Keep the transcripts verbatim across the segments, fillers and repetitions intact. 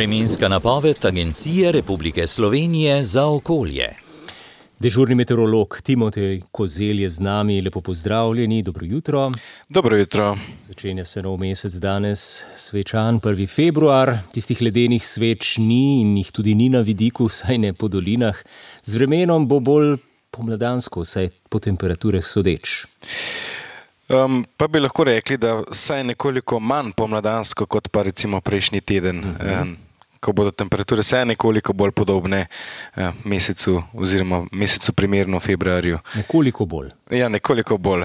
Vremenska napoved Agencije Republike Slovenije za okolje. Dežurni meteorolog Timotej Kozelj je z nami. Lepo pozdravljeni, dobro jutro. Dobro jutro. Začenja se nov mesec danes, svečan prvi februar. Tistih ledenih sveč ni in jih tudi ni na vidiku, saj ne po dolinah. Z vremenom bo bolj pomladansko, saj po temperaturah sodeč. Um, pa bi lahko rekli, da vsaj nekoliko manj pomladansko kot pa recimo prejšnji teden, uh-huh. um, ko bodo temperature vsaj nekoliko bolj podobne uh, mesecu oziroma mesecu primerno februarju. Nekoliko bolj. Ja, nekoliko bolj.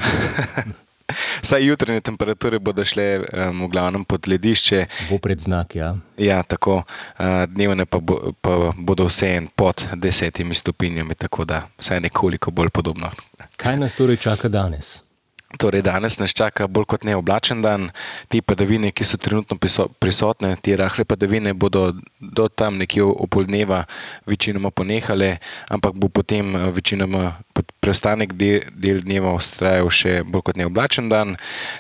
Vsaj jutranje temperature bodo šle um, v glavnem pod ledišče. Bo predznak, ja. Ja, tako. Uh, dnevne pa, bo, pa bodo vseeno pod desetimi stopinjami, tako da vsaj nekoliko bolj podobno. Kaj nas torej čaka danes? Torej, danes nas čaka bolj kot ne oblačen dan. Te padavine, ki so trenutno prisotne, te rahle padavine bodo do tam nekje opoldneva večinoma ponehale, ampak bo potem večinoma preostanek del, del dneva vztrajal še bolj kot ne oblačen dan.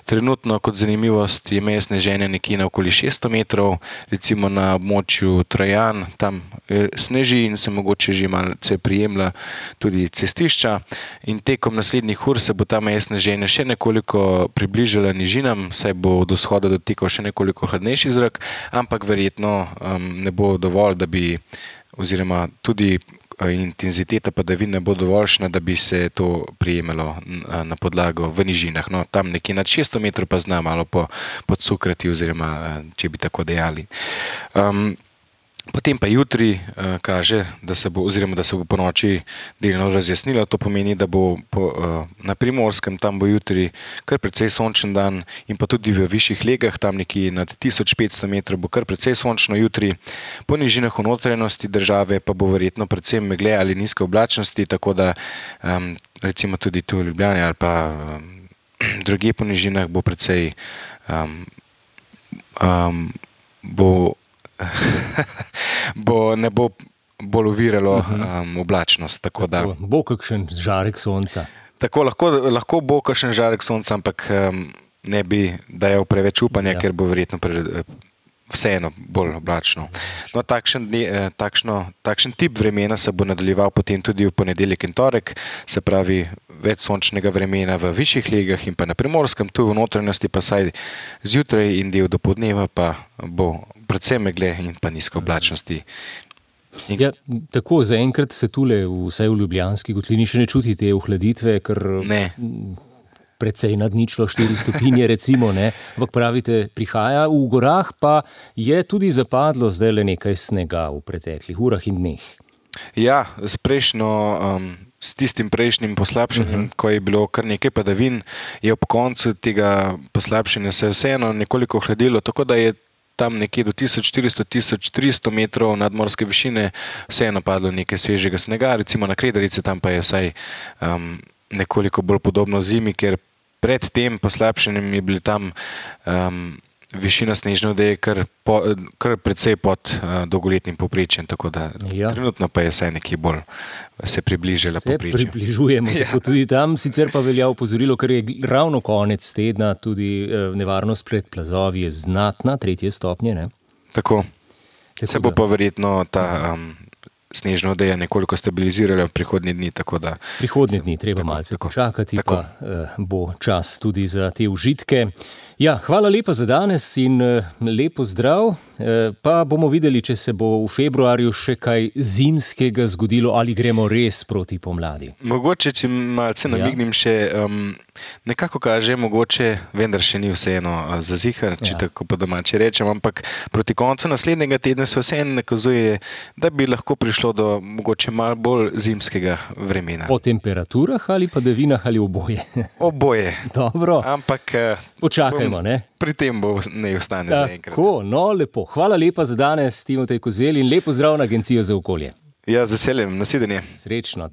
Trenutno kot zanimivost je meje sneženja nekje na okoli šeststo metrov, recimo na območju Trojan, tam sneži in se mogoče že malce prijemlja tudi cestišča. In tekom naslednjih ur se bo ta meja sneženja še nekoliko približala nižinam, saj bo od vzhoda dotikal še nekoliko hladnejši zrak, ampak verjetno um, ne bo dovolj, da bi, oziroma tudi intenziteta padavin ne bo dovoljšna, da bi se to prijemalo na, na podlago v nižinah. No, tam nekje nad šeststo metrov pa zna malo po, podsukrati, oziroma če bi tako dejali. Um, Potem pa jutri uh, kaže, da se bo, oziroma da se bo po noči delno razjasnilo. To pomeni, da bo po, uh, na Primorskem, tam bo jutri kar precej sončen dan in pa tudi v višjih legah, tam nekje nad tisoč petsto metrov bo kar precej sončno jutri. Po nižinah v notranjosti države pa bo verjetno predvsem megle ali nizke oblačnosti, tako da um, recimo tudi tu v Ljubljani ali pa um, drugje po nižinah bo precej um, um, bo bo, ne bo bolj oviralo um, oblačnost. Tako da, tako, bo kakšen žarek sonca. Tako, lahko, lahko bo kakšen žarek sonca, ampak um, ne bi dajal preveč upanja, ja. Ker bo verjetno pre, vseeno bolj oblačno. No, takšen, takšno, takšen tip vremena se bo nadaljeval potem tudi v ponedeljek in torek, se pravi več sončnega vremena v višjih legah in pa na Primorskem, tu v notranjosti pa saj zjutraj in del dopoldneva pa bo predvsem megle in pa nizke oblačnosti. In... Ja, tako, zaenkrat se tule, vsaj v Ljubljanski kotlini, še ne čutite ohladitve, ker ne. Precej nad ničlo štiri stopinje, recimo, ne, ampak pravite, prihaja. V gorah pa je tudi zapadlo zdaj le nekaj snega v preteklih urah in dneh. Ja, s prejšnjo, um, s tistim prejšnjim poslabšanjem, uh-huh. ko je bilo kar nekaj padavin, je ob koncu tega poslabšanja se vseeno nekoliko ohladilo, tako da je tam nekje do tisoč štiristo do tisoč tristo metrov nadmorske višine vseeno padlo nekaj svežega snega, recimo na Kredarici, tam pa je vsaj um, nekoliko bolj podobno zimi, ker pred tem poslabšanjem je bili tam um, višina snežne odeje kar, po, kar precej pod uh, dolgoletnim povprečjem, tako da ja. Trenutno pa je vsaj nekje bolj se približala povprečju. Se približujemo, ja. Tako tudi tam, sicer pa velja opozorilo, ker je ravno konec tedna, tudi uh, nevarnost pred plazovi je znatna, tretje stopnje, ne? Tako, tako se bo da... pa verjetno ta... Um, snežna odeja nekoliko stabilizirala v prihodnji dni, tako da... Prihodnji dni, treba tako, malce tako, počakati, tako. Pa eh, bo čas tudi za te užitke. Ja, hvala lepa za danes in eh, lepo zdrav. Eh, pa bomo videli, če se bo v februarju še kaj zimskega zgodilo ali gremo res proti pomladi. Mogoče, če malce namignim ja. Še, um, nekako kaže, mogoče, vendar še ni vseeno uh, za zihar, če ja. Tako po domače rečem, ampak proti koncu naslednjega tedna se vseeno nakazuje, da bi lahko prišlo do mogoče malo bolj zimskega vremena. Po temperaturah ali padavinah ali oboje? Oboje. Dobro. Ampak počakajmo, ne? Pri tem bo ne ostane zaenkrat. Tako, no lepo. Hvala lepa za danes, Timotej Kozelj, in lepo zdrav na Agencijo za okolje. Ja, z veseljem. Nasvidenje. Srečno.